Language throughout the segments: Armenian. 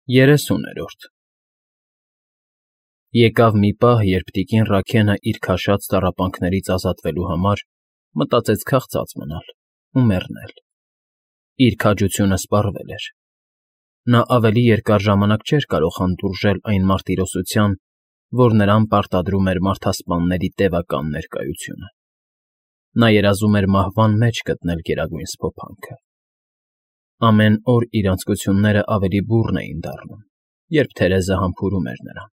30-րդ Եկավ մի պահ, երբ տիկին Ռաքենը իր քաշած տառապանքներից ազատվելու համար մտածեց քաղցած մնալ ու մեռնել. իր քաջությունը սպառվել էր. նա ավելի երկար ժամանակ չէր կարող հանդուրժել այն մարտիրոսության, որ նրան պարտադրում էր մարդասպանների տևական ներկայությունը. նա երազում էր մահվան մեջ գտնել գերագույն սփոփանքը. ամեն օր իր անձկությունները ավելի բուռն էին դառնում, երբ Թերեզը համբուրում էր նրան,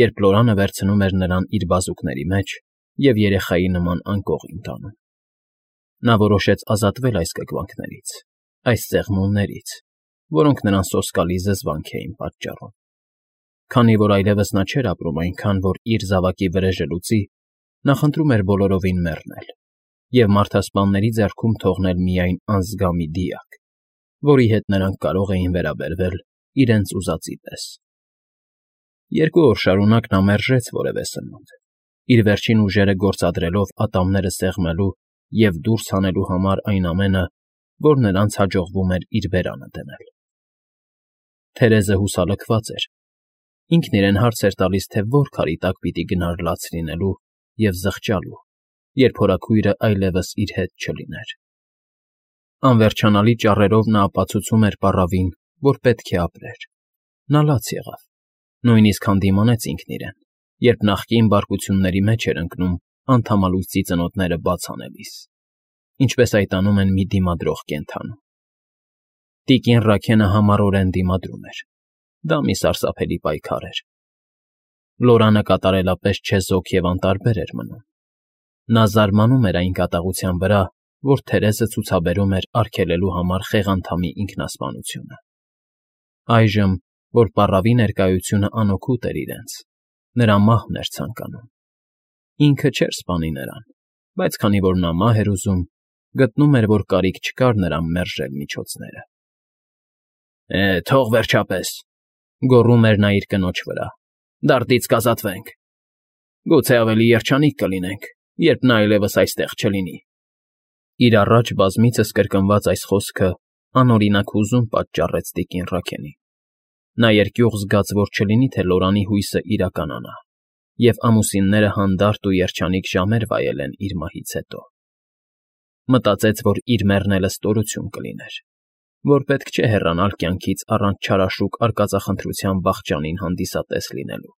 երբ Լորանը վերցնում էր նրան իր բազուկների մեջ և երեխայի նման անկողին տանում. նա որոշեց ազատվել այս կգվանքներից, այս ծեղմուններից, որոնք նրան սոսկալի զզվանք էին պատճառում. քանի որ այլևս նա չէր ապրում այնքան, որ իր զավակի վրեժը լուծի, նա խնդրում էր բոլորովին մեռնել և մարդասպանների ձեռքում թողնել միայն անզգա մի դիակ, որի հետ նրանք կարող էին վերաբերվել իրենց ուզածի պես. 2 օր շարունակ նա մերժեց որևէ սնունդ, իր վերջին ուժերը գործադրելով ատամները սեղմելու և դուրս հանելու համար այն ամենը, որ նրանց հաջողվում էր իր բերանը դնել. Թերեզը հուսալքված էր, ինքն իրեն հարց էր տալիս, թե որ քարի տակ պիտի գնար լաց լինելու և զղջալու, երբ հորաքույրը այլևս իր հետ չլիներ. անվերջանալի ճառերով նա ապացուցում էր պառավին, որ պետք է ապրեր. նա լաց եղավ, նույնիսկ հանդիմանեց ինքն իրեն, երբ նախկին բարկությունների մեջ էր ընկնում անդամալույսի ծնոտները բաց անելիս, ինչպես այդ անում են մի դիմադրող կենդանու. տիկին Ռաքենը համառորեն դիմադրում էր. դա մի սարսափելի պայքար էր. Լորանը կատարելապես չեզոք և անտարբեր էր մնում. նա զարմանում էր այն կատաղության վրա, որ Թերեզը ցուցաբերում էր արգելելու համար խեղանդամի ինքնասպանությունը. այժմ, որ պառավի ներկայությունը անօգուտ էր իրենց, նրա մահն էր ցանկանում. ինքը չէր սպանի նրան, բայց քանի որ նա մահ էր ուզում, գտնում էր, որ կարիք չկար նրան մերժել միջոցները. թող վերջապես, գոռում էր նա իր կնոջ վրա, դարդից կազատվենք. գուցե ավելի երջանիկ կլինենք, երբ նա այլևս այստեղ չլինի. իր առաջ բազմիցս կրկնված այս խոսքը անօրինակ հուզում պատճառեց տիկին Ռաքենին. նա երկյուղ զգաց, որ չլինի թե Լորանի հույսը իրականանա, և ամուսինները հանդարտ ու երջանիկ ժամեր վայել են իր մահից հետո. մտածեց, որ իր մեռնելը ստորություն կլիներ, որ պետք չէ հեռանալ կյանքից առանց չարաշուկ արկածախնդրության վախճանին հանդիսատես լինելու.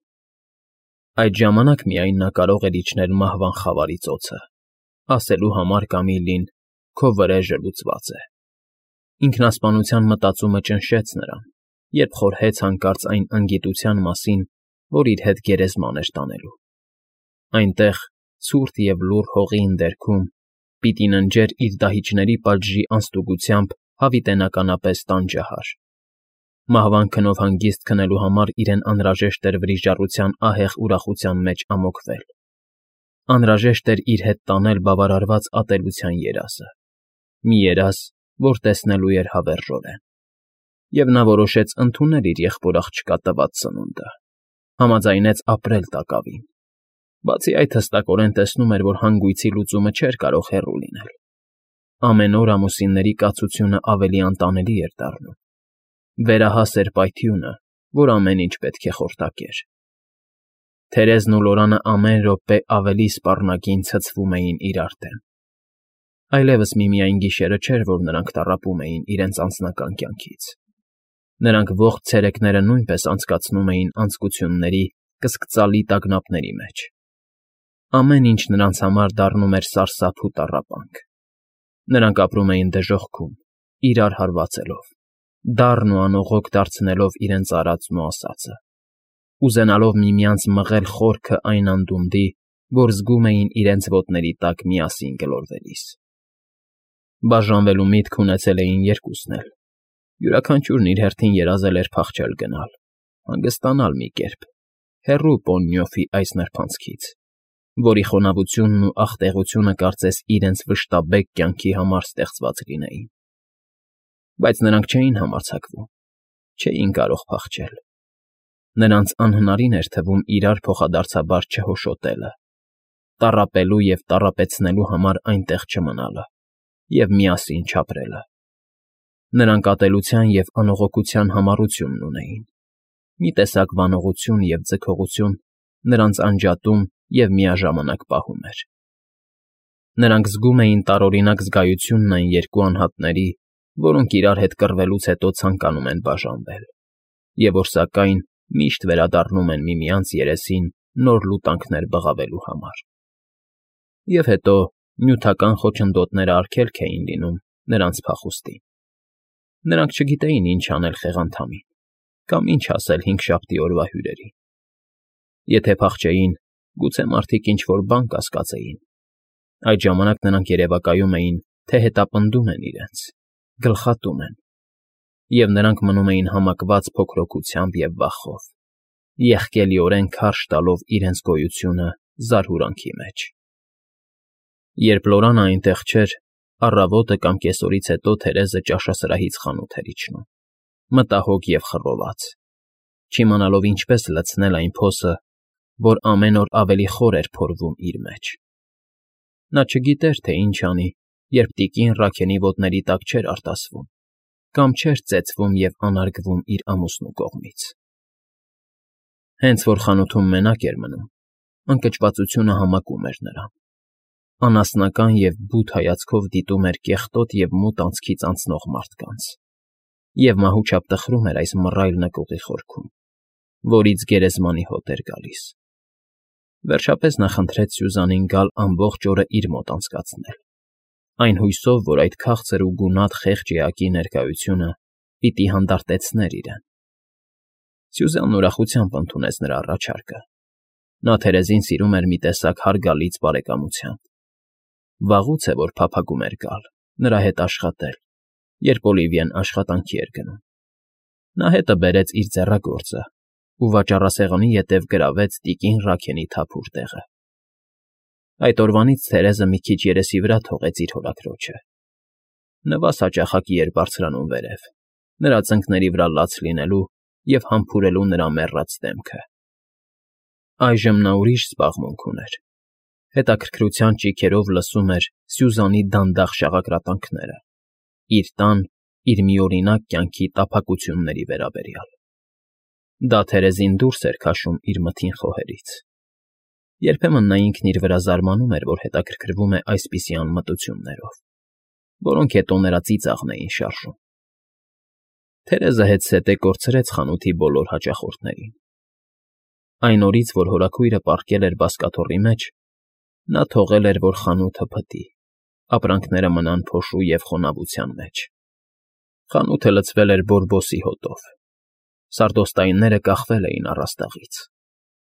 այդ ժամանակ միայն նա կարող էր իջնել մահվան խավարի ծոցը, ասելու համար Կամիլին. քո վրեժը լուծված է. ինքնասպանության մտածումը ճնշեց նրան, երբ խորհեց հանկարծ այն անգիտության մասին, որ իր հետ գերեզման էր տանելու. այնտեղ, ցուրտ և լուռ հողի ընդերքում, պիտի ննջեր իր դահիճների պատժի անստուգությամբ հավիտենականապես տանջահար. մահվան քնով հանգիստ քնելու համար իրեն անհրաժեշտ էր վրիժառության ահեղ ուրախության մեջ ամոթվել. անհրաժեշտ էր իր հետ տանել բավարարված ատելության երազը, մի երազ, որ տեսնելու էր հավերժորեն. և նա որոշեց ընդունել իր եղբոր աղջկա տված սնունդը, համաձայնեց ապրել տակավին. բացի այդ հստակորեն տեսնում էր, որ հանգույցի լուծումը չէր կարող հեռու լինել. ամեն օր ամուսինների կացությունը ավելի անտանելի էր դառնում. վերահաս էր պայթյունը, որ ամեն ինչ պետք է խորտակեր. Թերեզն ու Լորանը ամեն րոպե ավելի սպառնագին ցցվում էին իրար դեմ. այլևս միմիայն գիշերը չէր, որ նրանք տառապում էին իրենց անձնական կյանքից. նրանք ողջ ցերեկները նույնպես անցկացնում էին անձկությունների կսկծալի տագնապների մեջ. ամեն ինչ նրանց համար դառնում էր սարսափ ու տառապանք. նրանք ապրում էին դժոխքում, իրար հարվածելով, դառն ու անողոք դարձնելով իրենց արածն ու ասածը, ուզենալով միմյանց մղել խորքը այն անդունդի, որ զգում էին իրենց ոտների տակ միասին գլորվելիս. բաժանվելու միտք ունեցել էին երկուսն էլ. յուրաքանչյուրն իր հերթին երազել էր փախչել գնալ, հանգստանալ մի կերպ, հեռու Պոննյոֆի այս նրբանցքից, որի խոնավությունն ու աղտեղությունը կարծես իրենց վշտաբեկ կյանքի համար ստեղծված լինեին. բայց նրանք չէին համարձակվում, չէին կարող փախչել. նրանց անհնարին էր թվում իրար փոխադարձաբար չհոշոտելը, տառապելու և տառապեցնելու համար այնտեղ չմնալը և միասին չապրելը. նրանք ատելության և անողոքության համառությունն ունեին, Մի տեսակ վանողություն և ձգողություն նրանց անջատում և միաժամանակ պահում էր։ Նրանք զգում էին տարօրինակ զգայությունն այն երկու անհատների, որոնք իրար հետ կռվելուց հետո ցանկանում են բաժանվել, և որ սակայն միշտ վերադառնում են միմյանց երեսին նոր լուտանքներ բղավելու համար։ Եվ հետո նյութական խոչընդոտները արգելք էին լինում նրանց փախուստին։ Նրանք չգիտեին ինչ անել խեղանդամին կամ ինչ ասել հինգշաբթի օրվա հյուրերին։ Եթե փախչեին, գուցե մարդիկ ինչ֊որ բան կասկածեին։ Այդ ժամանակ նրանք երևակայում էին, թե հետապնդում են իրենց, գլխատում են, և նրանք մնում էին համակված փոքրօգուտությամբ և վախով, եղկելիորեն քարշ տալով իրենց գոյությունը զարհուրանքի մեջ։ Երբ Լորանը այնտեղ չէր, առավոտը կամ կեսօրից հետո Թերեզը ճաշասրահից խանութ էր իջնում, մտահոգ և խռոված, չիմանալով ինչպես լցնել այն փոսը, որ ամեն օր ավելի խոր էր փորվում իր մեջ։ Նա չգիտեր, թե ինչ անի, երբ տիկին Ռաքենի ոտների տակ չէր արտասվում կամ չէր ծեծվում և անարգվում իր ամուսնու կողմից։ Հենց որ խանութում մենակ էր մնում, ընկճվածությունը համակում էր նրան, անասնական և բութ հայացքով դիտում էր կեղտոտ և մութ անցքից անցնող մարդկանց և մահուճապ տխրում էր այս մռայլ նկուղի խորքում, որից գերեզմանի հոտ էր գալիս։ Վերջապես նա խնդրեց Սյուզանին գալ ամբողջ օրը իր մոտ անցկացնել, այն հույսով, որ այդ քաղցր ու գունատ խեղճ էակի ներկայությունը պիտի հանդարտեցներ իրեն։ Սյուզանն ուրախությամբ ընդունեց նրա առաջարկը։ Նա Թերեզին սիրում էր մի տեսակ հարգալից բարեկամությամբ։ Վաղուց է, որ փափագում էր գալ, նրա հետ աշխատել, երբ Օլիվիեն աշխատանքի էր գնում։ Նա հետը բերեց իր ձեռագործը ու վաճառասեղանի ետև գրավեց տիկին Ռաքենի թափուր տեղը։ Այդ օրվանից Թերեզը մի քիչ երեսի վրա թողեց իր հորաքրոջը։ Նվազ հաճախակի էր բարձրանում վերև, նրա ծնկների վրա լաց լինելու և համբուրելու նրա մեռած դեմքը։ Այժմ նա ուրիշ զբաղմունք ուներ։ Հետաքրքրության ճիգերով լսում էր Սյուզանի դանդաղ շաղակրատանքները, իր տան, իր միօրինակ կյանքի տափակությունների վերաբերյալ։ Դա Թերեզին դուրս էր քաշում իր մթին խոհերից։ Երբեմն նա ինքն իր վրա զարմանում էր, որ հետաքրքրվում է այսպիսի անմտություններով, որոնք հետո նրա ծիծաղն էին շարժում։ Թերեզը հետզհետե կորցրեց խանութի բոլոր հաճախորդներին։ Այն օրից, որ հորաքույրը պառկել էր բազկաթոռի մեջ, նա թողել էր, որ խանութը փտի, ապրանքները մնան փոշու և խոնավության մեջ։ Խանութը լցվել էր բորբոսի հոտով։ Սարդոստայնները կախվել էին առաստաղից։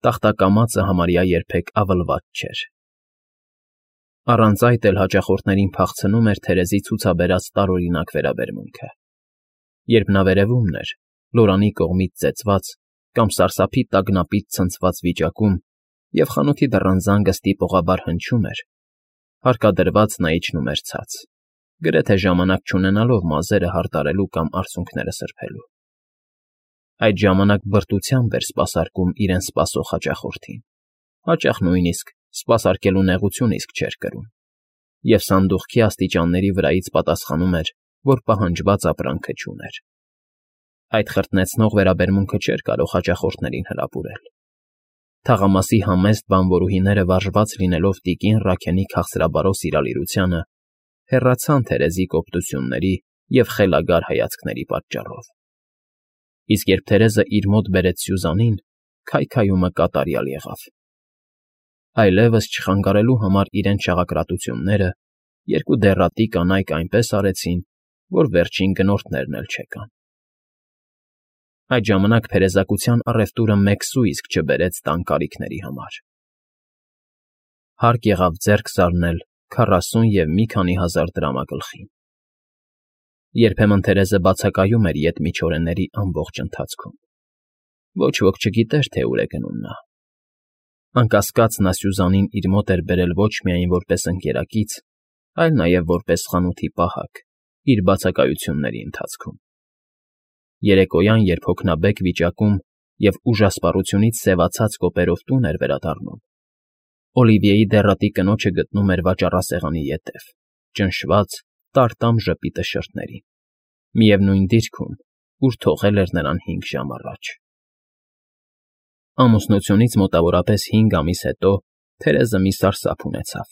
Տախտակամածը համարյա երբեք ավլված չէր։ Առանց այդ էլ հաճախորդներին փախցնում էր Թերեզի ցուցաբերած տարօրինակ վերաբերմունքը։ Երբ նա վերևումն էր, Լորանի կողմից ծեծված կամ սարսափի տագնապից ցնցված վիճակում, և խանութի դռան զանգը ստիպողաբար հնչում էր, հարկադրված նա իջնում էր ցած, գրեթե ժամանակ չունենալով մազերը հարդարելու կամ արցունքները սրբելու։ Այդ ժամանակ բրտությամբ էր սպասարկում իրեն սպասող հաճախորդին, հաճախ նույնիսկ սպասարկելու նեղություն իսկ չէր կրում, և սանդուղքի աստիճանների վրայից պատասխանում էր, որ պահանջված ապրանքը չուներ։ Այդ խրտնեցնող վերաբերմունքը չէր կարող հաճախորդներին հրապուրել։ Թաղամասի համեստ բանվորուհիները վարժված լինելով տիկին Ռաքենի քաղցրաբարո սիրալիրությանը, հեռացան Թերեզի կոպտությունների և խելագար հայացքների պատճառով։ Իսկ երբ Թերեզը իր մոտ բերեց Սյուզանին, քայքայումը կատարյալ եղավ։ Այլևս չխանգարելու համար իրենց շաղակրատությունները երկու դեռատի կանայք այնպես արեցին, որ վերջին գնորդներն էլ չեկան։ Այդ ժամանակ փերեզակության առևտուրը մեկ սու իսկ չբերեց տան կարիքների համար։ Հարկ եղավ ձեռք զարնել 40 և մի քանի հազար դրամագլխին։ Երբեմն Թերեզը բացակայում էր ետմիջօրեների ամբողջ ընթացքում։ Ոչ ոք չգիտեր, թե ուր է գնում նա։ Անկասկած նա Սյուզանին իր մոտ էր բերել ոչ միայն որպես ընկերակից, այլ նաև որպես խանութի պահակ իր բացակայությունների ընթացքում։ Երեկոյան, երբ հոգնաբեկ վիճակում և ուժասպառությունից սևացած կոպերով տուն էր վերադառնում, Օլիվիեի դեռատի կնոջը գտնում էր վաճառասեղանի ետև, ճնշված տարտամ ժպիտը շրթներին, միևնույն դիրքում, ուր թողել էր նրան 5 ժամ առաջ։ Ամուսնությունից մոտավորապես 5 ամիս հետո Թերեզը մի սարսափ ունեցավ.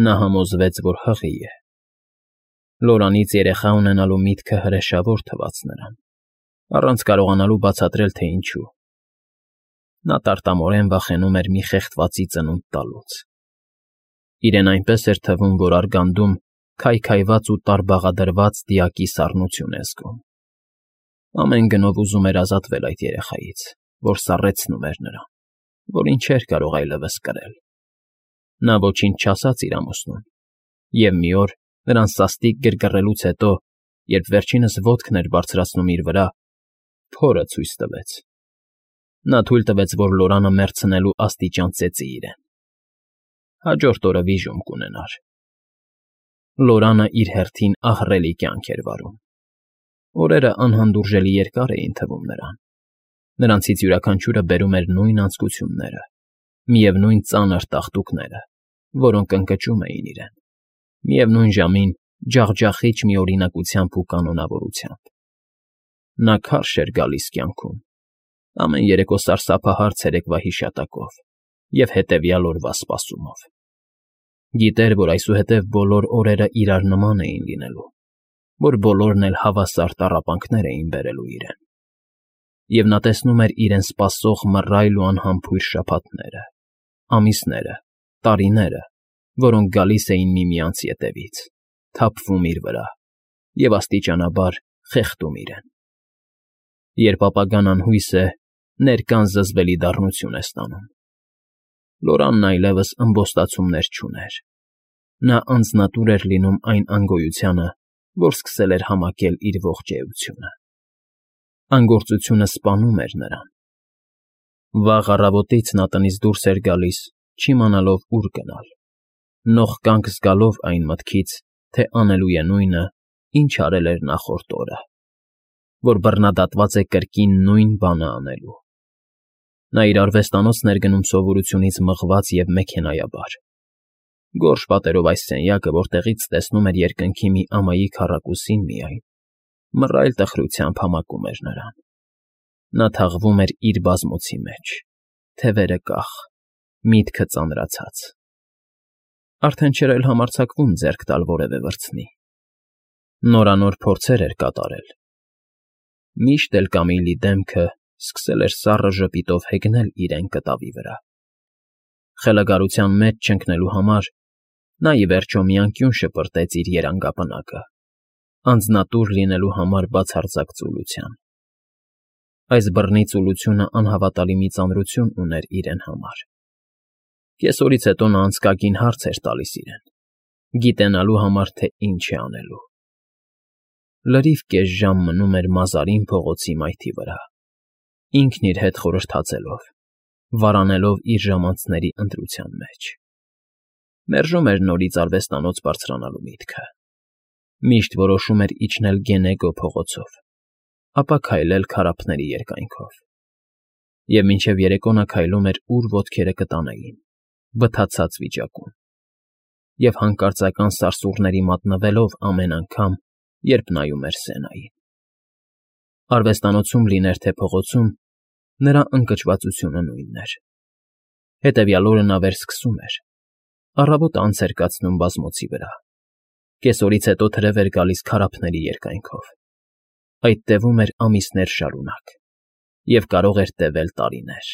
նա համոզվեց, որ հղի է։ Լորանից երեխա ունենալու միտքը հրեշավոր թվաց նրան, առանց կարողանալու բացատրել, թե ինչու։ Նա տարտամորեն վախենում էր մի խեղդվածի ծնունդ տալուց։ Իրեն այնպես էր թվում, որ արգանդում քայքայված ու տարբաղադրված դիակի սառնություն է զգում։ Ամեն գնով ուզում էր ազատվել այդ երեխայից, որ սառեցնում էր նրան, որին չէր կարող այլևս կրել։ Նա ոչինչ չասաց իր ամուսնուն, և մի օր նրան սաստիկ գրգռելուց հետո, երբ վերջինս ոտքն էր բարձրացնում իր վրա, փորը ցույց տվեց։ Նա թույլ տվեց, որ Լորանը մեռցնելու աստիճան ծեծի իրեն։ Հաջորդ օրը վիժում կունենար։ Լորանը իր հերթին ահռելի կյանք էր վարում։ Օրերը անհանդուրժելի երկար էին թվում նրան։ Նրանցից յուրաքանչյուրը բերում էր նույն անձկությունները, միևնույն ծանր տաղտուկները, որոնք ընկճում էին իրեն, միևնույն ժամին ջախջախիչ մի օրինակությամբ ու կանոնավորությամբ։ Նա քարշ էր գալիս կյանքում, ամեն երեկո սարսափահար ցերեկվա հիշատակով և հետևյալ օրվա սպասումով։ Գիտեր, որ այսուհետև բոլոր օրերը իրար նման էին լինելու, որ բոլորն էլ հավասար տառապանքներ էին բերելու իրեն։ Եվ նա տեսնում էր իրեն սպասող մռայլ ու անհամբույր շաբաթները, ամիսները, տարիները, որոնք գալիս էին միմյանց ետևից, թափվում իր վրա և աստիճանաբար խեղդում իրեն։ Երբ ապագան անհույս է, ներկան զզվելի դառնություն է ստանում։ Լորանն այլևս ըմբոստացումներ չուներ։ Նա անձնատուր էր լինում այն անգոյությանը, որ սկսել էր համակել իր ողջ էությունը։ Անգործությունը սպանում էր նրան։ Վաղ առավոտից նա տնից դուրս էր գալիս, չիմանալով ուր գնալ, նող կանգ զգալով այն մտքից, թե անելու է նույնը, ինչ արել էր նախորդ օրը, որ բռնադատված է կրկին նույն բանը անելու։ Նա իր արվեստանոցն էր գնում սովորությունից մղված և մեքենայաբար։ Գորշ պատերով այս սենյակը, որտեղից տեսնում էր երկնքի մի ամայի քառակուսին միայն, մռայլ տխրությամբ համակում էր նրան։ Նա թաղվում էր իր բազմոցի մեջ, թևերը կախ, միտքը ծանրացած։ Արդեն չէր էլ համարձակվում ձեռք տալ որևէ վրձնի։ Նորանոր փորձեր էր կատարել։ Միշտ էլ Կամիլի դեմքը սկսել էր սառը ժպիտով հեգնել իրեն կտավի վրա։ Խելագարության մեջ չընկնելու համար նա ի վերջո մի անկյուն շպրտեց իր երանգապնակը, անձնատուր լինելու համար բացարձակ ծուլության։ Այս բռնի ծուլությունը անհավատալի մի ծանրություն ուներ իրեն համար։ Կեսօրից հետո նա անցկակին հարց էր տալիս իրեն, գիտենալու համար, թե ինչ է անելու։ Լրիվ կես ժամ մնում էր Մազարին փողոցի մայթի վրա, ինքն իր հետ խորհրդածելով, վարանելով իր ժամանցների ընտրության մեջ։ Մերժում էր նորից արվեստանոց բարձրանալու միտքը։ Միշտ որոշում էր իջնել Գենեգո փողոցով, ապա քայլել քարափների երկայնքով։ Եվ մինչև երեկո նա քայլում էր, ուր ոտքերը կտանեին, վթացած վիճակում, և հանկարծական սարսուռների մատնվելով ամեն անգամ, երբ նայում էր Սենային։ Արվեստանոցում լիներ թե փողոցում, նրա ընկճվածությունը նույնն էր։ Հետևյալ օրը նա վերսկսում էր, առավոտը անց էր կացնում բազմոցի վրա, կեսօրից հետո թրև էր գալիս քարափների երկայնքով, այդ տևում էր ամիսներ շարունակ և կարող էր տևել տարիներ։